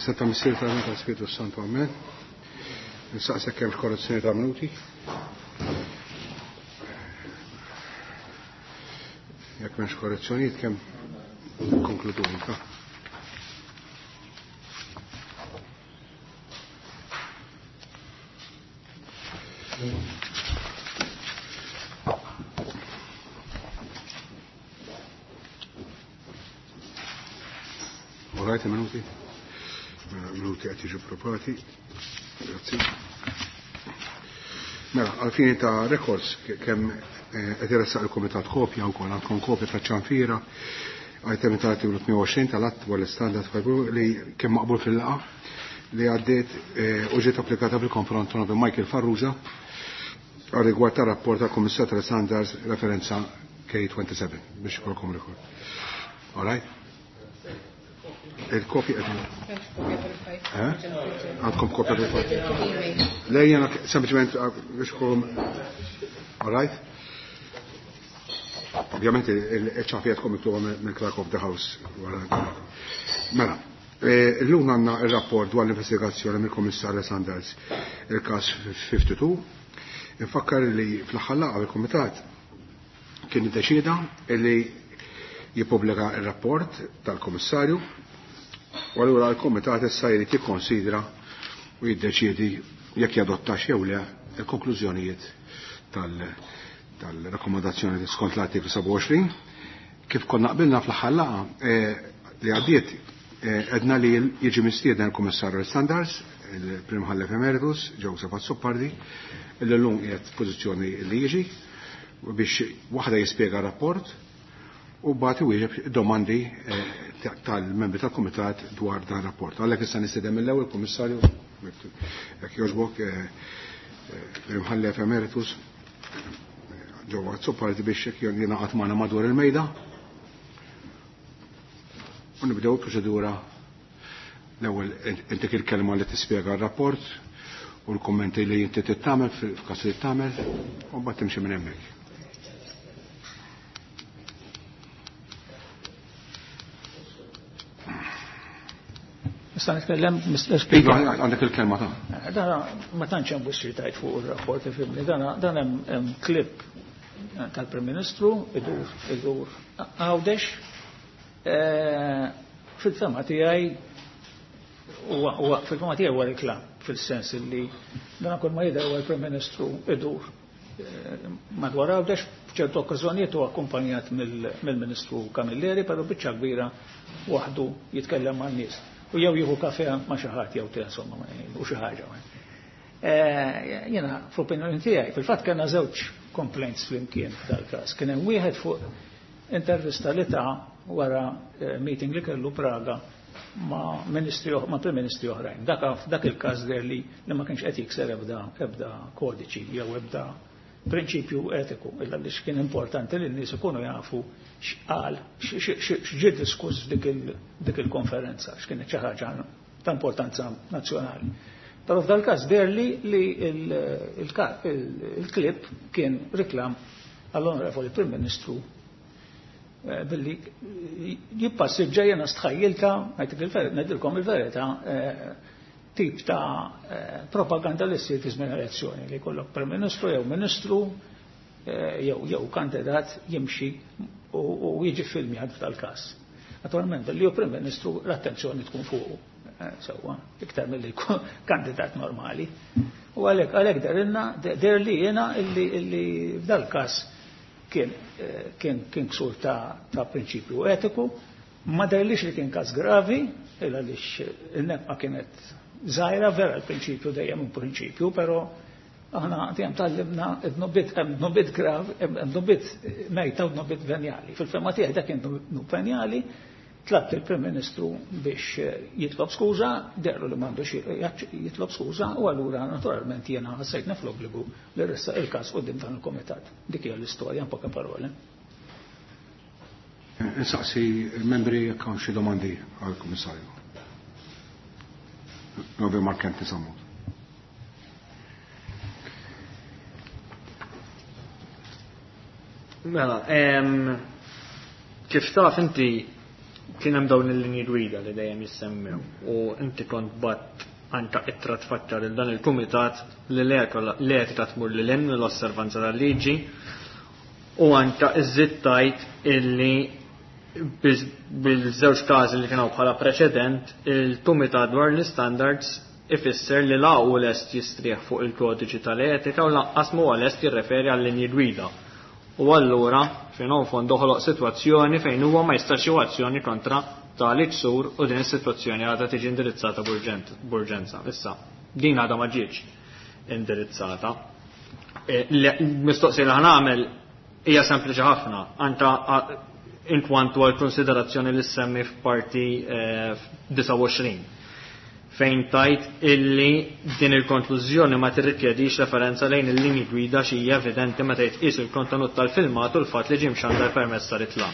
Fis ta' Missier ta' tal-Spiritu Santu Amen. Nistaqsek kemm korrezzjoni ta' minuti. Jekk m'hemmx korrezzjonijiet kemm konkludu ta' Orajt minuti? Minuti qed jiġu propati. Grazzi. Mela, għalfini ta' records kemm qed iressaq il-Kumitat kopja wkoll għandkom kopja ta' ċanfira item ta' artiklu 28 tal-att dwar l-istandard li kemm maqbul fil-laqa li għaddiet u ġiet applikata fil-konfront ta' Michael Farrugia għal rigward ta' rapport tal Kummissar tal-Standards referenza K27 biex ikolkom rekord. All right? Il-kopja qed Għandkom kopja fil-fajl. Le jena sempliċement biex ikolkom All right? Ovvjament il-ċafija tkun miktuba mill-Clerk of the House wara. Mela, illum għandna il-rapport dwar l-investigazzjoni mill-Kummissarju Sanders il-każ 52. Infakkar li fl-aħħar laqgħa il-Kumitat kien iddeċieda li jippubblika il-rapport tal-Kummissarju u allura l-Kumitat issa jrid jikkonsidra u jiddeċiedi jekk jadottax jew le il-konklużjonijiet tal-rakkomandazzjoni skont l-artiklu 27. Kif konna qbilna fl-aħħar laqgħa li għaddiet edna li jiġi mistieden il-Kummissarju Standards, il-Prim Imħallef Emeritus, Joseph Azzopardi, illi llum qiegħed f'pożizzjoni li jiġi biex waħda jispjega rapport u bagħad iwieġeb domandi tal-membri tal-Kumitat dwar dan rapport. Għalhekk issa nistieden mill-ewwel Kummissarju jekk jogħġbok Prim Imħallef Emeritus Joe Azzopardi biex jingħaqad magħna madwar il-mejda. U nibdew il-proċedura. L-ewwel intik il-kelma li tispjega r-rapport u l-kummenti li inti tittamel f'każ li tagħmel u mbagħad timxi minn hemmhekk. Nista' nitkellem, Mr. Speaker? Iva, għandek il-kelma ta'. Dana ma tantx hemm wisq tajt fuq ir-rapport ifhimni. Dana dan hemm clip tal-Prim Ministru idur idur Għawdex. Fil-fema tiegħi huwa fil-fema tiegħi huwa reklam fil-sens li dan kull ma jidher huwa l-Prim Ministru idur madwar Għawdex f'ċertu okkażjonijiet huwa akkumpanjat mill-Ministru Camilleri, però biċċa kbira waħdu jitkellem man-nies. U jew jieħu kafe ma' xi ħadd jew te insomma u xi ħaġa. Jiena fl-opinjoni tiegħi, fil-fatt kellna żewġ complaints flimkien f'dal-każ. Kien hemm wieħed fuq intervista li ta' wara meeting li kellu Praga ma' ministri ma' prim ministri oħrajn. Dak il-każ der li ma kienx qed jikser ebda kodiċi jew ebda prinċipju etiku, illa li kien importanti li n-nies ikunu jafu x'qal, x'ġie diskuss dik il-konferenza, x'kienet xi ħaġa ta' importanza nazzjonali. Però f'dal-każ der li il-klip kien reklam għall-Onorevoli Prim Ministru billi jippassiġġa jena stħajjilta, ngħidilkom il-verità, tip ta' propaganda li ssir fi żmien elezzjoni li jkollok Prim Ministru jew Ministru jew kandidat jimxi u jiġi filmjat f'dal-każ. Naturalment, li hu Prim Ministru l-attenzjoni tkun fuqu, sewwa, iktar milli jkun kandidat normali. U għalhekk għalhekk derilna der li jiena illi f'dal-każ kien kien kien ksur ta' prinċipju etiku, ma derlix li kien każ gravi, illa għaliex in-nefqa kienet żgħira, vera l-prinċipju dejjem un prinċipju, però aħna dejjem tallimna dnubit grav, dnubit mejta u dnubit venjali. Fil-fema tiegħi dak kien dnub venjali, tlabt il-Prim Ministru biex jitlob skuża, derlu li m'għandux jitlob skuża, u allura naturalment jiena ħassejtna fl-obbligu li ressaq il-każ quddiem dan il-kumitat. Dik hija l-istorja poca parole. Insaqsi il-membri jekk hawn xi domandi għall-Kummissarju. Novi Markenti Sammut. Mela, kif taf inti Kien hemm dawn il-linji gwida li dejjem jissemmew u inti kont bgħatt anka ittra tfakkar lil dan il-kumitat li l-etika tmur lil hinn mill-osservanza tal-liġi u anka iżżid tgħid illi bil-żewġ każi li kienu bħala preċedent il-Kumitat dwar l-Istandards ifisser li la hu lest jistrieħ fuq il-kodiċi tal-etika u lanqas m'huwa lest jirreferi għal-linji gwida. U allura, fin fond doħloq sitwazzjoni fejn huwa ma jistax jieħu azzjoni kontra tali ksur u din is-sitwazzjoni għadha tiġi indirizzata b'urġenza. Issa, din għadha ma ġietx indirizzata. Mistoqsija li ħa nagħmel hija sempliċi ħafna, anka inkwantu għal konsiderazzjoni li semmi f'parti 29 fejn tajt illi din il-konklużjoni ma tirrikjedix referenza lejn il-linji gwida xi hija evidenti meta jitqies il-kontenut tal-filmat u l-fatt li ġie mxandar permezz ta' ritlam.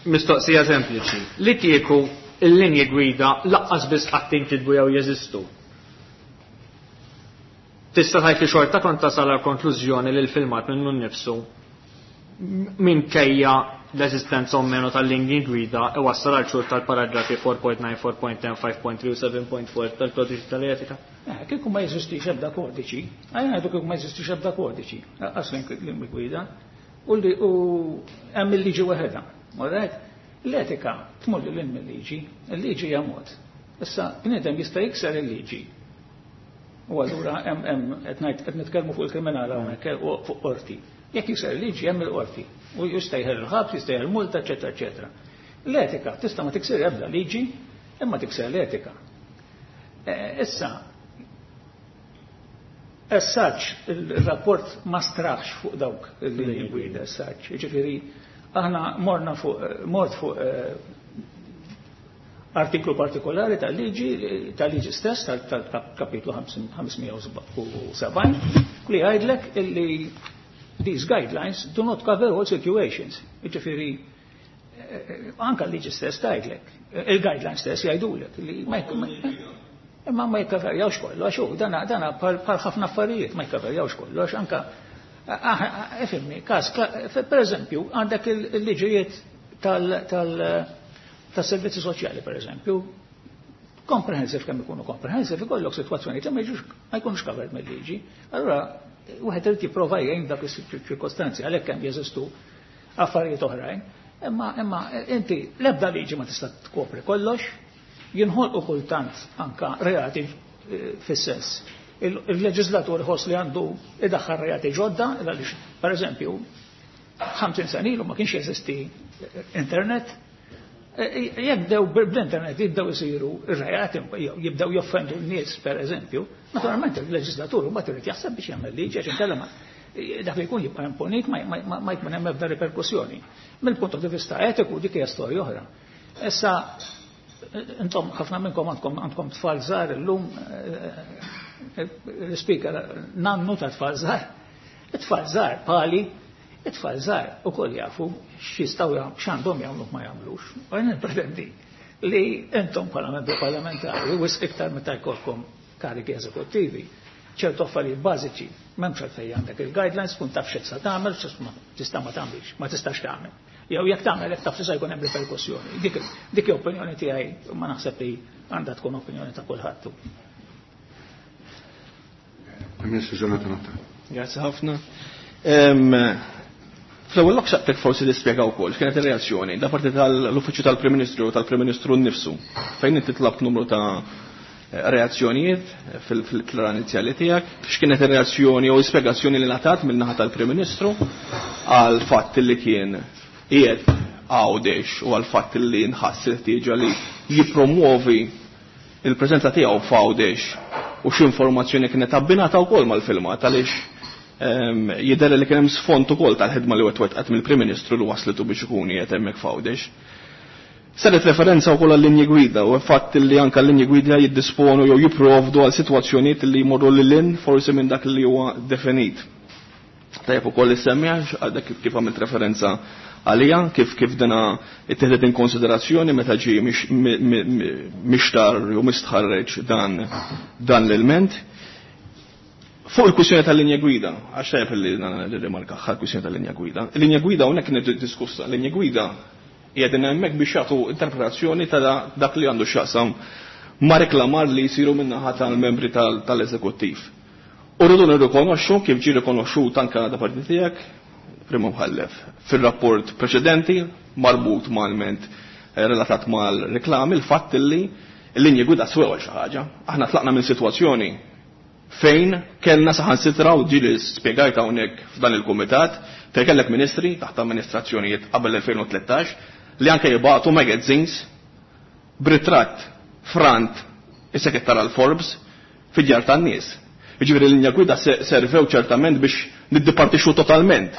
Mistoqsija sempliċi. Li kieku il-linji gwida laqqas biss qatt inkitbu jew jeżistu. Tista' tgħid li xorta kont tasal għal konklużjoni li l-filmat minnu nnifsu minkejja l-eżistenza o meno tal-linji gwida iwassal għal ksur tal-paragrafi 4.9, 4.10, 5.3 u 7.4 tal-kodiċi tal-etika? Kieku ma jeżistix ebda kodiċi, għajna ngħidu kieku ma jeżistix ebda kodiċi, lanqas linji gwida, u hemm il-liġi waħedha. Alright? L-etika tmur lil hinn mill-liġi, il-liġi hija mod. Issa bniedem jista' jikser il-liġi. U allura hemm qed ngħid qed nitkellmu fuq il-kriminal hawnhekk u fuq qorti. Jekk jikser il-liġi hemm il-qorti. U jista' jeħel il-ħabs, jista' jeħel multa, eċetera, eċetera. L-etika tista' ma tikser ebda liġi, imma tikser l-etika. Issa, as such, il-rapport ma straħx fuq dawk il-linji gwida as such. Ġifieri, aħna morna fuq, mort fuq artiklu partikolari tal-liġi stess, tal-kapitlu 570, li jgħidlek illi these guidelines do not cover all situations. Ġifieri, anka l-liġi stess tgħidlek, il-guidelines stess jgħidulek li imma ma jikkaverjawx kollox, u dana bħal ħafna affarijiet ma jikkaverjawx kollox, anka ifhimni, każ, per eżempju, għandek il-liġijiet tas-servizzi soċjali, per eżempju, comprehensive kemm ikunu comprehensive, ikollok sitwazzjoni li ma jkunux covered mill-liġi. Allura, wieħed irid jipprova jgħin dak is-ċirkostanzi, għalhekk hemm jeżistu affarijiet oħrajn. Imma inti l-ebda liġi ma tista' tkopri kollox, jinħolqu kultant anka reati fis-sens. Il-leġislatur ħoss li għandu idaħħal reati ġodda, għaliex, per eżempju, 50 sena ilu ma kienx jeżisti internet. Jekk bdew bl-internet jibdew isiru ir-reati, jibdew joffendu n-nies, per eżempju, naturalment il-leġislatur mbagħad irid jaħseb biex jagħmel liġi għax inkella dak li jkun jibqa' imponit ma jkun hemm ebda riperkussjoni. Mill-punt di vista etiku dik hija storja oħra. Issa intom ħafna minnkom għandkom tfal żgħar illum, l-speaker nannu ta' tfal żgħar. It-tfal żgħar pali, it-tfal żgħar ukoll jafu x'jistgħu x'għandhom jagħmlu ma jagħmlux. U jien nippretendi li intom bħala membri parlamentari wisq iktar meta jkollkom kariki eżekuttivi, ċertu affarijiet bażiċi, m'hemmx għalfejn għandek il-guidelines, tkun taf x'se tagħmel, tista' ma tagħmilx, ma tistax tagħmel. Jew jekk tagħmel hekk taf se jkun hemm riperkussjoni. Dik hi opinjoni tiegħi, ma naħseb li għandha tkun opinjoni ta' kulħadd. Ministru Jonathan Attard. Grazie ħafna. Fl-ewwel lok xaqtek forsi li spjega wkoll x'kienet ir-reazzjoni da parti tal-Uffiċċju tal-Prim Ministru u tal-Prim Ministru nnifsu fejn inti tlabt numru ta' reazzjonijiet fil-ittra inizjali tiegħek, x'kienet ir-reazzjoni jew spjegazzjoni li ngħatat min-naħa tal-Prim Ministru għal fatt li kien qiegħed Għawdex u għal fatt li nħass il-ħtieġa li jippromuovi il-preżenza tiegħu f'Għawdex u x'informazzjoni kienet abbinata wkoll mal-filmat għaliex jidher li kien hemm sfond ukoll tal-ħidma li wettqet mill-Prim Ministru li waslitu biex ikun qiegħed hemmhekk f'Għawdex. Saret referenza wkoll għal-linji gwida u fatt li anke l-linji gwida jiddisponu jew jipprovdu għal sitwazzjonijiet li jmorru lil hinn forsi minn dak li huwa definit. Tajjeb ukoll issemmi għax għadek kif għamilt referenza għalija, kif dana ittieħdet in konsiderazzjoni meta ġie mixtar u mistħarreġ dan l-ilment. Fuq il-kwistjoni tal-linja gwida, għax tajjeb li rimarka ħal kwistjoni tal-linja gwida. Il-linja gwida hawnhekk kienet diskussa, l-linja gwida Qiegħdin hemmhekk biex jagħtu interpretazzjoni ta' dak li għandu x'jaqsam ma' reklamar li jsiru min-naħa tal-membri tal-eżekuttiv. U rridu nirrikonoxxu kif ġie rikonoxxut anke da parti tiegħek, Prim Imħallef, fir-rapport preċedenti marbut mal-ment relatat mal-reklami, il-fatt li l-linji gwida swew għal xi ħaġa. Aħna tlaqna minn sitwazzjoni fejn kellna saħansitra, u ġieli spjegajt hawnhekk f'dan il-kumitat, fejn kellek ministri taħt amministrazzjonijiet qabel 2013 li anke jibagħtu magazines b'ritratt frant is-sekrettar għal Forbes fid-djar tan-nies. Jiġifieri l-linja gwida servew ċertament biex niddipartixxu totalment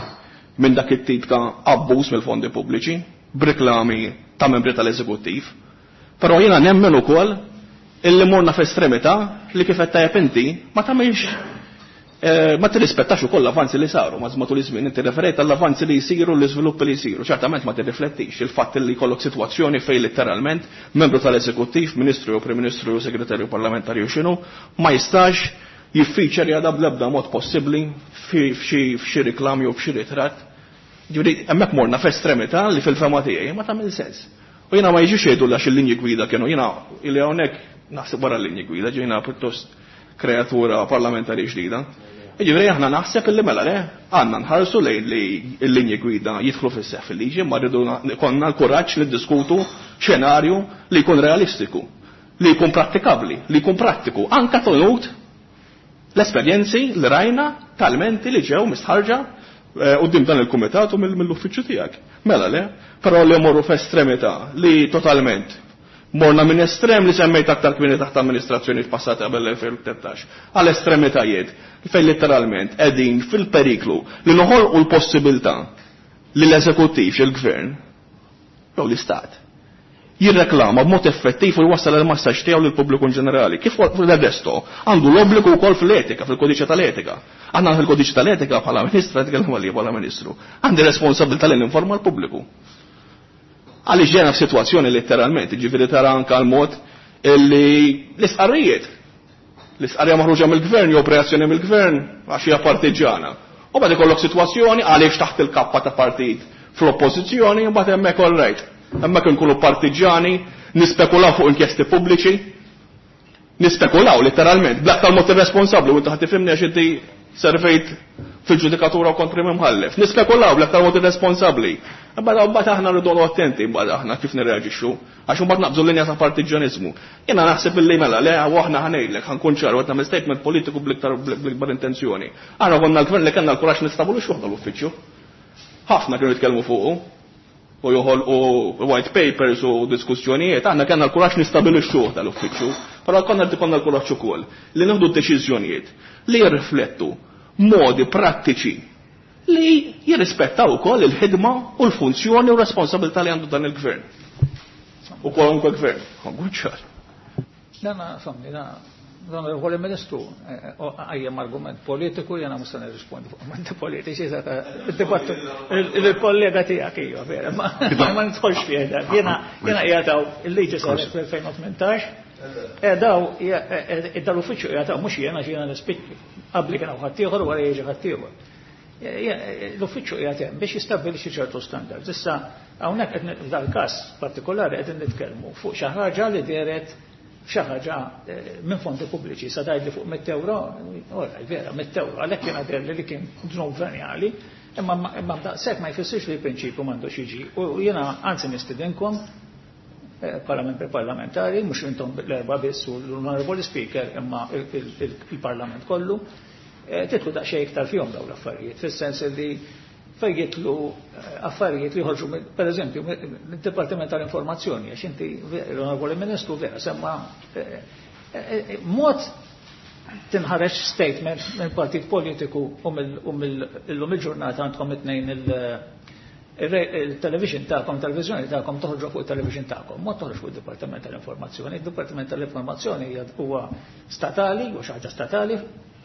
minn dak it-tip ta' abbuż mill-fondi pubbliċi b'reklami ta' membri tal-eżekuttiv. Però jiena nemmen ukoll illi morna f'estremità li kif qed tajjeb inti ma tagħmilx ma tirrispettax ukoll l-avanzi li saru ma' matul iż-żmien. Inti referejt għall-avanzi li jsiru, l-iżviluppi li jsiru. Ċertament ma tirriflettix il-fatt li jkollok sitwazzjoni fejn litteralment membru tal-eżekuttiv, ministru jew prim ministru jew segretarju parlamentari jew x'inhu, ma jistax jiffiċer jada bl-ebda mod possibbli f'xi reklam jew f'xi ritratt. Ġifieri hemmhekk morna f'estremità li fil-fema tiegħi ma tagħmel sens. U jiena ma jiġux jgħidu għax il-linji gwida kienu, jiena illi hawnhekk naħseb wara l-linji gwida, ġejna pjuttost kreatura parlamentari ġdida. Jiġifieri aħna naħseb illi mela le, għandna nħarsu lejn li l-linji gwida jidħlu fis-seħħ fil-liġi, ma rridu konna l-kuraġġ li ddiskutu xenarju li jkun realistiku, li jkun prattikabbli, li jkun prattiku, anka tenut l-esperjenzi li rajna tal-menti li ġew mistħarġa quddiem dan il-kumitat u mill-uffiċċju tiegħek. Mela le, però li morru f'estremità li totalment morna minn estrem li semmejt aktar kmieni taħt amministrazzjoni passata qabel l-2013 għal estremitajiet fejn letteralment qegħdin fil-periklu li noħolqu l-possibilità li l-eżekuttiv, il-gvern jew l-istat jirreklama b'mod effettiv u jwassal il-messaġġ tiegħu lill-pubbliku in ġenerali. Kif l-resto għandu l-obbligu wkoll fl-etika, fil-kodiċi tal-etika. Aħna fil-kodiċi tal-etika bħala ministra, nitkellem għalija bħala ministru, għandi responsabilità li ninforma l-pubbliku. Għaliex ġejna f'sitwazzjoni letteralment, jiġifieri tara anke l-mod illi l-istqarrijiet, l-istqarrija maħruġa mill-gvern jew preazzjoni mill-gvern għax hija partiġġana. U bad ikollok sitwazzjoni għaliex taħt il-kappa ta' partit fl-oppożizzjoni, mbagħad hemmhekk all right. Hemmhekk inkunu partiġġani, nispekulaw fuq inkjesti pubbliċi, nispekulaw letteralment, bl-aktar mod irresponsabbli, u inti ħadd tifhimni għax inti servejt fil-ġudikatura u kont prim imħallef. Nispekulaw bl-aktar mod irresponsabbli. Imbagħad aħna rridu noqogħdu attenti mbagħad aħna kif nirreaġixxu, għax imbagħad naqbżu l-linja ta' partiġġjaniżmu. Jiena naħseb illi mela le u aħna ħanejdlek, ħankun ċar, qed nagħmel statement politiku bl-ikbar intenzjoni. Aħna konna l-gvern li kellna l-kuraġġ nistabbilixxu aħna l-uffiċċju. Ħafna kienu jitkellmu fuqu u joħolqu white papers u diskussjonijiet, aħna kellna l-kuraġġ nistabilixxuh tal-uffiċċju, però konna qed ikollna l-kuraġġ ukoll li nieħdu deċiżjonijiet li jirriflettu modi prattiċi li jirrispettaw ukoll il-ħidma u l-funzjoni u responsabilità li għandu dan il-gvern. U kwalunkwe gvern, ħankun ċar. Dana, somni, dana, l-onorevoli Ministru, għajjem argument politiku, jena musta nirrispondi fuq argumenti politiċi, il-dibattu, il-kollega tijak, ija, vera, ma nidħolx fih dak. Jena jgħataw il-liġi saret fl-2018, daw, dal-uffiċċju jgħataw, mux jena xina nispikki, qabli kien hawn ħaddieħor wara jiġi ħaddieħor. L-uffiċċju qiegħed hemm biex jistabbilixxi ċertu standards. Issa hawnhekk qed f'dal-każ partikolari qed nitkellmu fuq xi ħaġa li dehret xi ħaġa minn fondi pubbliċi, sa tgħidli fuq 100 euro, ora, vera, 100 euro, għalhekk kien għader li kien dnub venjali, imma daqshekk ma jfissirx li l-prinċipju m'għandux jiġi. U jiena anzi nistidinkom bħala membri parlamentari, mhux intom l-erba' biss u l-Onorevoli Speaker, imma il-Parlament kollu, titlu daqsxejn iktar fihom dawn l-affarijiet, fis-sens li fejn jitlu affarijiet li jħorġu, per eżempju, mid-Dipartiment tal-Informazzjoni, għax inti l-Onorevoli Ministru vera semma mod tinħareġ statement minn partit politiku u mill-lum il-ġurnata għandkom it-tnejn il-television tagħkom, televizjoni tagħkom toħorġu fuq il-television tagħkom, ma toħorġu fuq id-Dipartiment tal-Informazzjoni. Il-Dipartiment tal-Informazzjoni huwa statali, u xi ħaġa statali,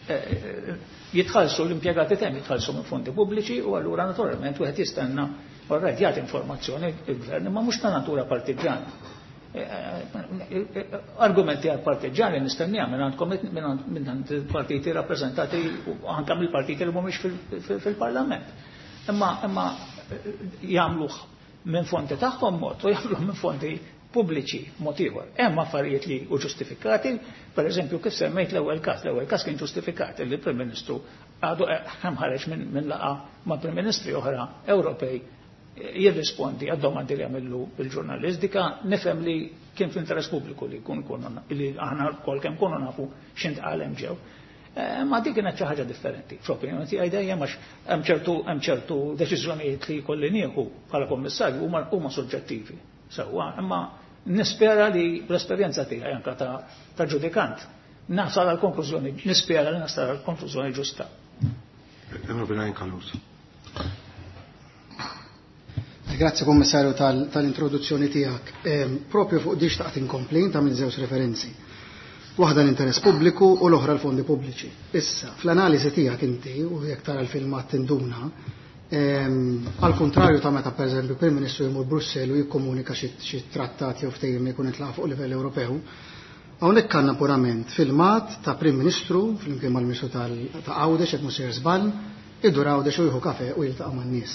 jitħallsu l-impjegati temm jitħallsu minn fondi pubbliċi u allura naturalment wieħed jistenna orrajt jagħti informazzjoni il-gvern, imma mhux ta' natura partiġġana. Argumenti għal partiġġani nistennija minn għandkom minn għand il-partiti rappreżentati u anke mill-partiti li mhumiex fil-Parlament. Imma jagħmluh minn fondi tagħhom mod u jagħmluhom minn fondi pubbliċi mod ieħor. Hemm affarijiet li hu ġustifikati, pereżempju kif semmejt l-ewwel każ, l-ewwel każ kien ġustifikat li l-Prim Ministru għadu hemm ħareġ minn laqgħa ma' Prim Ministri oħra Ewropej jirrispondi għad-domandi li għamillu il-ġurnalist. Dika nifhem li kien fl-interess pubbliku li jkun li aħna lkoll kemm kunu nafu x'intqal hemm ġew. Ma dik kienet xi ħaġa differenti. Fl-opinjoni tiegħi dejjem għax hemm ċertu deċiżjonijiet li jkolli nieħu bħala kummissarju huma soġġettivi. Sewwa, imma nispera li l-esperjenza tiegħi anke ta' ġudikant nasal għal konklużjoni, nispera li nasal għal konklużjoni ġusta. Grazie Kommissarju tal-introduzzjoni tiegħek. Propju fuq di xtaqt inkompli ta' minn żewġ referenzi. Waħda l-interess pubbliku u l-oħra l-fondi pubbliċi. Issa, fl-analiżi tiegħek inti u jekk tara l-filmat tinduna, għal kontrarju ta' meta pereżempju Prim Ministru jmur Brussell u jikkomunika xi trattat jew ftehim li jkun intlaq fuq livell Ewropew, hawnhekk għandna purament filmat ta' Prim Ministru flimkien mal-Ministru ta' Għawdex jekk mhux sejjer żball, idur Għawdex u jieħu kafe u jiltaqa' man-nies.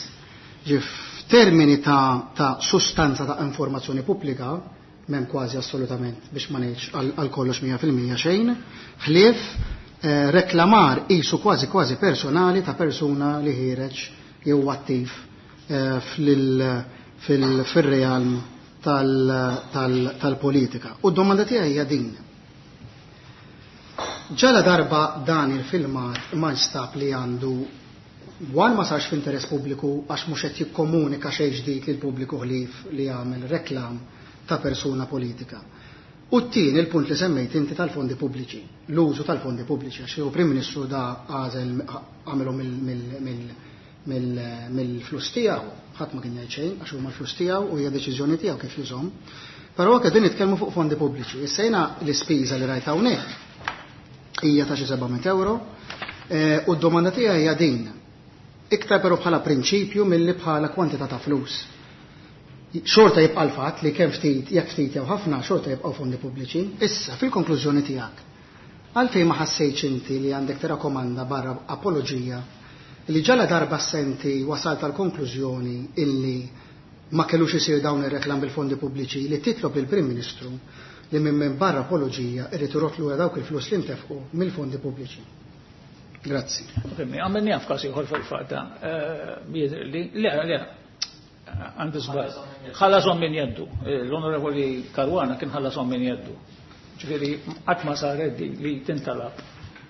Ġif f'termini ta' sustanza ta' informazzjoni pubblika m'hemm kważi assolutament biex ma ngħidx għal kollox 100% xejn, ħlief reklamar qisu kważi kważi personali ta' persuna li ħiereġ jew attiv fil-realm tal-politika. U d-domanda tiegħi hija din. Ġala darba dan il-filmat ma nstab li għandu wan ma sarx f'interess pubbliku għax mhux qed jikkomunika xejn ġdid lil pubbliku ħlief li jagħmel reklam ta' persuna politika. U t-tieni il-punt li semmejt inti tal-fondi pubbliċi, l-użu tal-fondi pubbliċi, għax Prim Ministru da għażel għamilhom mill-flus tiegħu, ħadd ma kien jgħid xejn għax huma l-flus tiegħu u hija deċiżjoni tiegħu kif jużhom. Però anke din nitkellmu fuq fondi pubbliċi. Issa jiena l-ispiża li rajt hawnhekk hija ta' xi 700 euro u d-domanda tiegħi hija din. Iktar però bħala prinċipju milli bħala kwantità ta' flus. Xorta jibqa' l-fatt li kemm ftit, jekk ftit jew ħafna, xorta jibqgħu fondi pubbliċi. Issa, fil-konklużjoni tiegħek, għalfejn ma ħassejtx inti li għandek tirakomanda barra apoloġija li ġala darba senti wasalt għal konklużjoni illi ma kellux isir dawn ir-reklam bil-fondi pubbliċi li titlob lill-Prim Ministru li minn barra apoloġija irid irott lura dawk il-flus li ntefqu mill-fondi pubbliċi. Grazzi. Għamilni għaf każ ieħor fil-fatt, li le, għandu żball. Ħallasom minn jeddu. L-Onorevoli Caruana kien ħallasom minn jeddu. Ġifieri qatt ma saret li tintalab.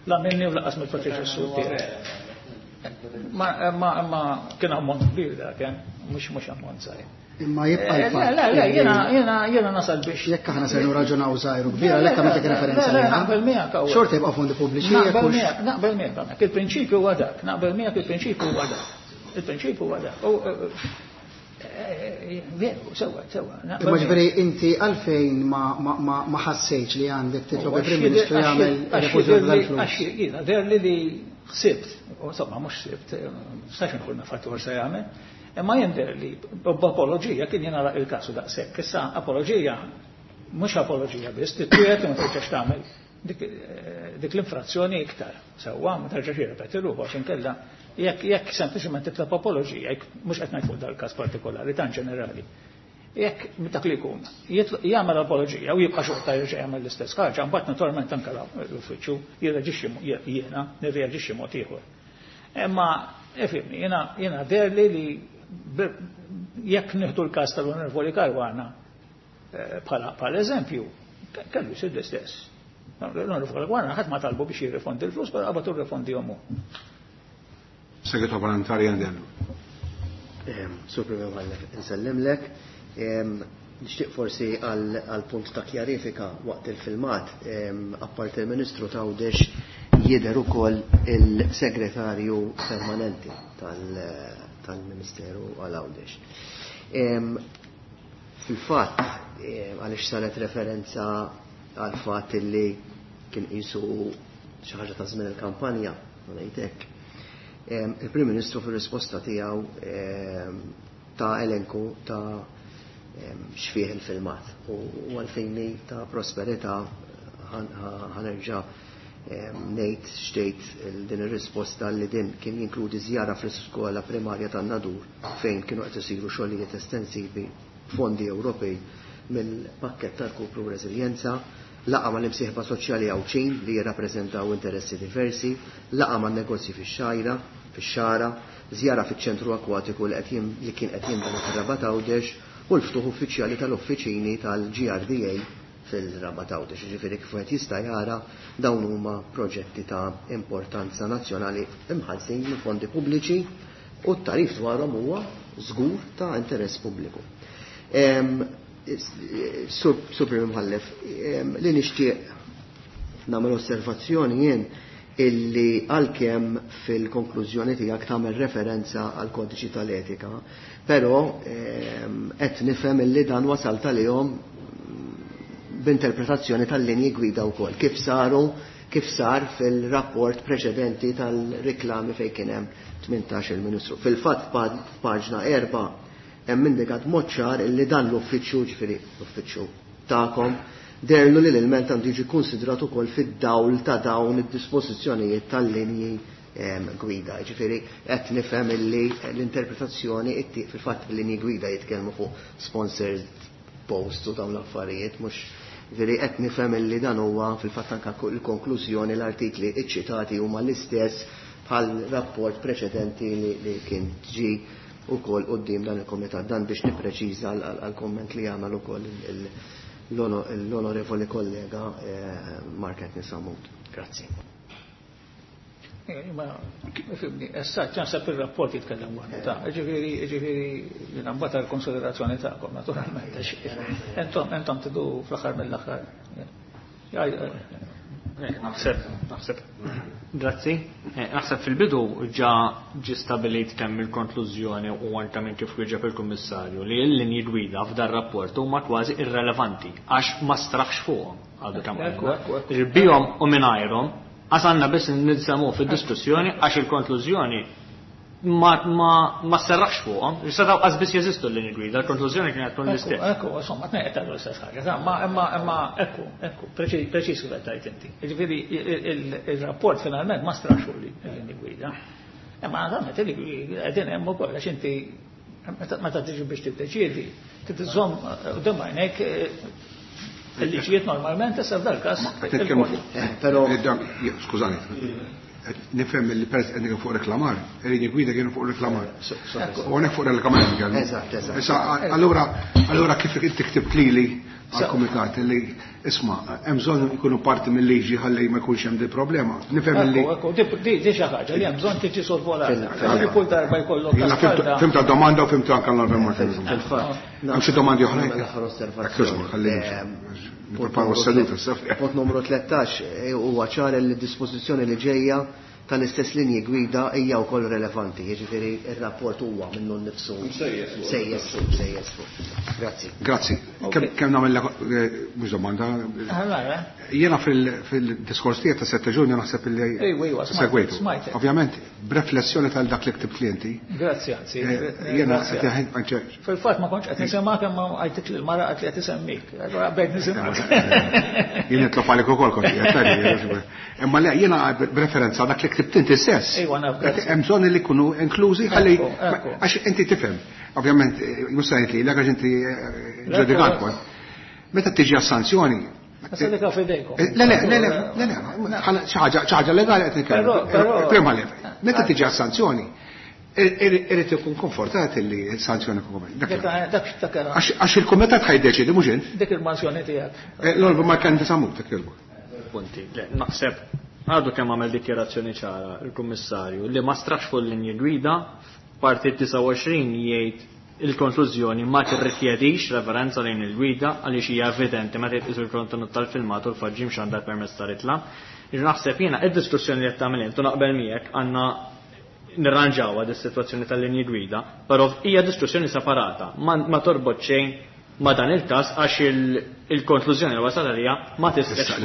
La minni u laqas mill-predeċessur tiegħi. Ma kien ammont kbir dak, mhux ammont żgħir. Imma jibqa' l-fatt. Le, jiena nasal biex. Jekk aħna se nirraġunaw żgħir u kbir, għalhekk għamiltek referenza Le, naqbel miegħek hawn. Xorta jibqa' fondi pubbliċi. Naqbel miegħek, il-prinċipju huwa dak, naqbel miegħek il-prinċipju huwa dak. Il-prinċipju huwa dak. Veru, sewa, sewa. Imma ġifieri inti għalfejn ma ħassejtx li għandek titlob il-Prim Ministru jagħmel refużjoni tal-flus. Għax jiena deher li ħsibt, insomma mhux ħsibt, nistax inkun naf għatwar se jagħmel, imma jien deher li b'apoloġija kien jingħalaq il-każ daqshekk. Issa apoloġija mhux apoloġija biss, titwiegħed u ma terġax tagħmel dik l-infrazzjoni iktar. Sewwa, ma terġax jirrepeti ruħu għax inkella jekk sempliċement titlob apoloġija, jekk mhux qed ngħid fuq dal-każ partikolari, tan ġenerali. Jekk dak li jkun jagħmel apoloġija u jibqa' xorta jerġa' jagħmel l-istess ħaġa, mbagħad naturalment anke l-uffiċċju jirreġixxi jiena nirreaġixxi mod ieħor. Imma ifhimni, jiena deherli li jekk nieħdu l-każ tal-Onorevoli Caruana bħala eżempju, kellu jsir l-istess. L-Onorevoli Caruana ħadd ma talbu biex jirrifondi l-flus, però qabad irrifondihom hu. Segretarju Parlamentari Andellu. Sur Prim Imħallef, insellimlek. Nixtieq forsi għal punt ta' kjarifika waqt il-filmat, apparti il-Ministru ta' Għawdex jidher ukoll il-Segretarju Permanenti tal-Ministeru għal Għawdex. Fil-fatt, għaliex saret referenza għal fatt li kien qisu xi ħaġa ta' żmien il-kampanja, ma ngħid hekk. Il-Prim Ministru fir-risposta tiegħu ta' elenku ta' xfih il-filmat u għalfejni ta' prosperità ħanerġa' Ngħid xtejt din ir-risposta li din kien jinkludi żjara fl-iskola primarja tan-Nadur fejn kienu qed isiru xogħlijiet estensivi fondi Ewropej mill-pakkett tal-Kupru Reżiljenza, laqgħa mal-imsieħba soċjali Għawdxin li jirrappreżentaw interessi diversi, laqgħa man-negozji fix-Xgħajra, fix-Xagħra, żjara fiċ-ċentru akwatiku li qed li kien qed jinbena fir-Rabat Għawdex u l-ftuħ uffiċjali tal-uffiċini tal-GRDA fil-Rabat Għawdex. Jiġifieri kif wieħed jista' jara dawn huma proġetti ta' importanza nazzjonali imħallsin minn fondi pubbliċi u t-tagħrif dwarhom huwa żgur ta' interess pubbliku. Sur Prim Imħallef, li nixtieq nagħmel osservazzjoni jien illi għalkemm fil-konklużjoni tiegħek tagħmel referenza għal kodiċi tal-etika, però qed nifhem illi dan wasalt għalihom b'interpretazzjoni tal-linji gwida wkoll kif saru kif sar fil-rapport preċedenti tal-riklami fejn kien hemm 18 il-Ministru. Fil-fatt f'paġna 4 hemm indikat mod ċar illi dan l-uffiċċju, ġifieri l-uffiċċju tagħkom, deherlu li l-ilment għandu jiġi konsidrat ukoll fid-dawl ta' dawn id-dispożizzjonijiet tal-linji gwida. Ġifieri qed nifhem illi l-interpretazzjoni fil-fatt il-linji gwida jitkellmu fuq sponsored posts u dawn l-affarijiet, mhux ġifieri qed nifhem illi dan huwa fil-fatt anke l-konklużjoni l-artikli iċċitati huma l-istess bħal rapport preċedenti li kien ġi ukoll quddiem dan il-komitat. Dan biex nippreċiża għal-komment li għamel ukoll l-onorevoli kollega Mark Anthony Sammut. Grazzi. Ma, fimni, issa ċansab il-rapport jitkellem waħdu ta' ġifieri, ġifieri, jiena mbagħad għall-konsiderazzjoni tagħkom, naturalment, għax entom tidu fl-aħħar mill-aħħar. Naħseb, naħseb. Grazzi. Naħseb fil-bidu ġa ġi stabilit kemm il-konklużjoni u anke minn kif wieġeb il-Kummissarju li l-linji gwida f'dar rapport huma kważi irrelevanti għax ma straħx fuqhom għadu kemm Ekku, ekku, ekku. Ġifieri bihom u mingħajrhom għasanna biss nilsemmu fid-diskussjoni għax il-konklużjoni ma serraħx fuqhom. Setgħu qas biss jeżistu l-linji gwida, l-konklużjoni kienet tkun l-istess. Ekku, insomma, tnejn qed tgħidu l-istess ħaġa, ta' ma, imma, imma, ekku, ekku, preċiż kif qed tgħid inti. Jiġifieri il-rapport finalment ma straħx fuq l-linji gwida. Imma naturalment il-linji gwida qegħdin hemm ukoll għax inti meta tiġi biex tiddeċiedi, trid iżżomm quddiem għajnejk il-liġijiet normalment issa f'dal każ. Ma, qed nitkellmu fuq. Però Skużani. Nifhem li peress qed fuq reklamar, il-linji gwida kienu fuq reklamar. U hawnhekk fuq reklamar nitkellmu. Eżatt, eżatt. Issa, allura kif inti ktibt lili għall-kumitat li isma' hemm bżonn ikunu parti mill-liġi ħalli ma jkunx hemm di problema. Nifhem li Ekku, ekku, di xi ħaġa li hemm bżonn tiġi sorvolata. Għalli kull darba jkollok Jiena asfalta. fimt domanda u fimt anke l-Martin. Fil-fatt. Hemm xi domandi oħra? Nagħmel l-aħħar osservazzjoni. Ekku, ħalli nippreparaw s-seduta, s-saf. Punt numru 13 huwa ċar li d-dispożizzjoni li ġejja tal-istess linji gwida hija wkoll relevanti, jiġifieri ir-rapport huwa minnu nnifsu Msejjes fuq. msejjes fuq, msejjes fuq. Grazzi. Grazzi. Ok. Kemm nagħmel mhux domanda? Allora, eh? Jiena fil-diskors tiegħek ta' 7 Ġunju naħseb li Ejwa, ejwa, smajt, segwejtu. smajt. Ovvjament, b'reflessjoni tal dak li ktibt li inti. Grazzi, anzi. Jiena Grazzi. qed jaħin, anzi, Fil-fatt ma kontx qed nisimgħek imma għajtik lil mara qed li qed isemmik. Allora bejt nisimgħek. Jien nitlob għalik ukoll kont qiegħed tgħid, Imma le, jiena b'referenza dak li ktibt inti stess. Ejwa, naf, grazzi. Hemm bżonn li jkunu inklużi ħalli Ekku, ekku. għax inti tifhem. Ovvjament, mhux se ngħid lilek għax inti ġudikat kont. Meta tiġi għas-sanzjoni, Issa dik f'idejkom. Le, le, le, le, le, le, xi ħaġa legali qed nitkellem. Però, però Prima le. Meta tiġi għas-sanzjoni, irid ikun konfortat li s-sanzjoni ikun konfortat. Dak Dak, dak, dak, Għax il-kumitat ħajdeċidi mhux int. Dik il-mansjoni tiegħek. L-Onorevoli Mark Anthony Sammut, dak jogħġbok. Punti. Le, naħseb għadu kemm għamel dikjerazzjoni ċara il-Kummissarju li ma strax fuq l-linji gwida, parti 29 jgħid il-konklużjoni ma tirrikjedix referenza lejn il-gwida għaliex hija evidenti meta jitqisu l-kontenut tal-filmat u l-faġġim xandar permezz ta' ritla. Jiġu naħseb jiena id-diskussjoni li qed tagħmel intu naqbel miegħek għandna nirranġawha dis-sitwazzjoni tal-linji gwida, però hija diskussjoni separata, ma torbot xejn ma dan il-każ għax il-konklużjoni li wasal għalija ma tistax. Issa,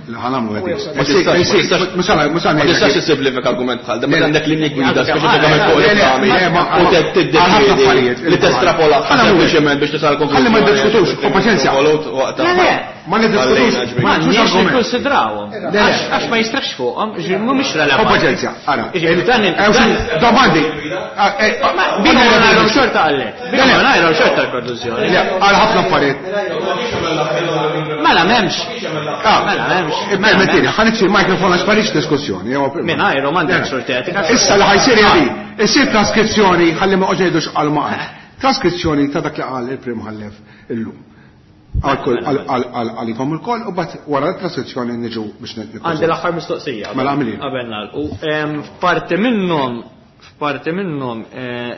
li ħanamlu għedi. Ma tistax, Ma sara, ma sara ma tistax ngħidlek. tissimplifika argument bħal dan, meta għandek linji gwida Le, speċifikament fuq le, reklami, le, ma- u tiddeċiedi għal ħafna affarijiet. li testrapola Ħanamlu hekk. sempliċement biex tisal Ħalli ma konklużjoni. ndiskutus, u paċenzja. Volut waqt Le, le, Ma niddiskutux. Ma nix nikkonsidrawhom. Għax ma jistrax fuqhom, ġifieri mhumiex relevanti. Paċenzja, ara. Domandi. Bina ngħidhom xorta għallek. Bina ngħidhom xorta l-konklużjoni. Għal ħafna affarijiet. Mela m'hemmx. Mela m'hemmx. Permettili, ħa nitfi l-mikrofon għax m'għandix diskussjoni. Mingħajru m'għandek xorta etika. Issa li ħajsir jadi, issir traskrizzjoni ħalli ma qogħdux għal ma Traskrizzjoni ta' dak li qal il-Prim Imħallef illum. Għalikom il-koll u bat wara l-traskrizzjoni niġu biex Għandi l-aħħar mistoqsija. Mela għamili. Qabel nagħlqu. F'parti minnhom, f'parti minnhom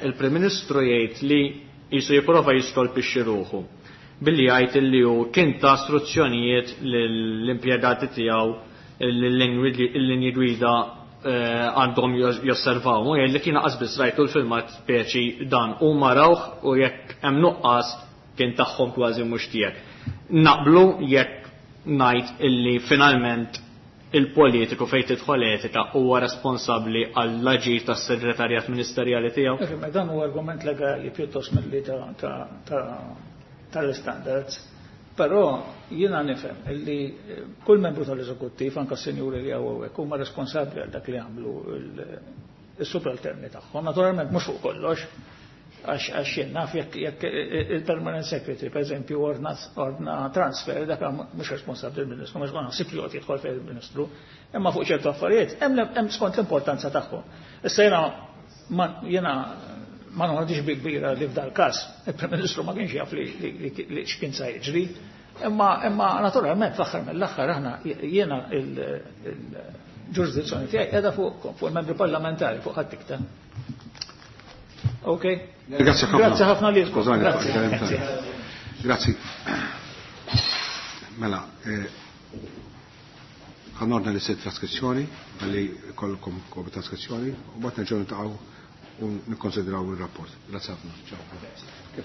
il-Prim Ministru jgħid li jisu jipprova jiskolpixxi ruħu billi jgħid li hu kien ta' istruzzjonijiet lill-impjegati tiegħu l-linji gwida għandhom josservaw. U jgħid li kien qas biss rajtu l-filmat speċi dan u marawh u jekk hemm nuqqas kien tagħhom kważi mhux tiegħek. Naqblu jekk ngħid illi finalment il-politiku fejn tidħol etika huwa responsabbli għall-aġir tas-segretarjat ministerjali tiegħu? Ma dan huwa argument legali pjuttost milli tal-standards. Però jiena nifhem illi kull membru tal-eżekuttiv, anke s-sinjuri li hawn huma responsabbli għal dak li għamlu il-subalterni tagħhom. Naturalment mhux fuq kollox, għax jien naf jekk il-permanent secretary, per eżempju, ordna transfer, dak mhux responsabbli il-Ministru, mhux ma naħsib li joqgħod jidħol fejn il-Ministru, imma fuq ċertu affarijiet hemm skont l-importanza tagħhom. Issa jiena ma noħodix bi kbira li f'dal każ il-Prim Ministru ma kienx jaf li x'kien sa jiġri, imma naturalment fl-aħħar mill-aħħar aħna jiena il-ġurisdizzjoni tiegħi qiegħda fuq il-membri parlamentari fuq ħadd iktar. Ok. Grazie ħafna. Grazie ħafna lilkom. Skużani, Grazie. Grazie. Grazie. Mela, ħanorna li sit traskrizzjoni, għalli kollkom kopja traskrizzjoni, u bat nerġgħu niltaqgħu u nikkonsidraw il-rapport. Grazie ħafna. Ciao. Kif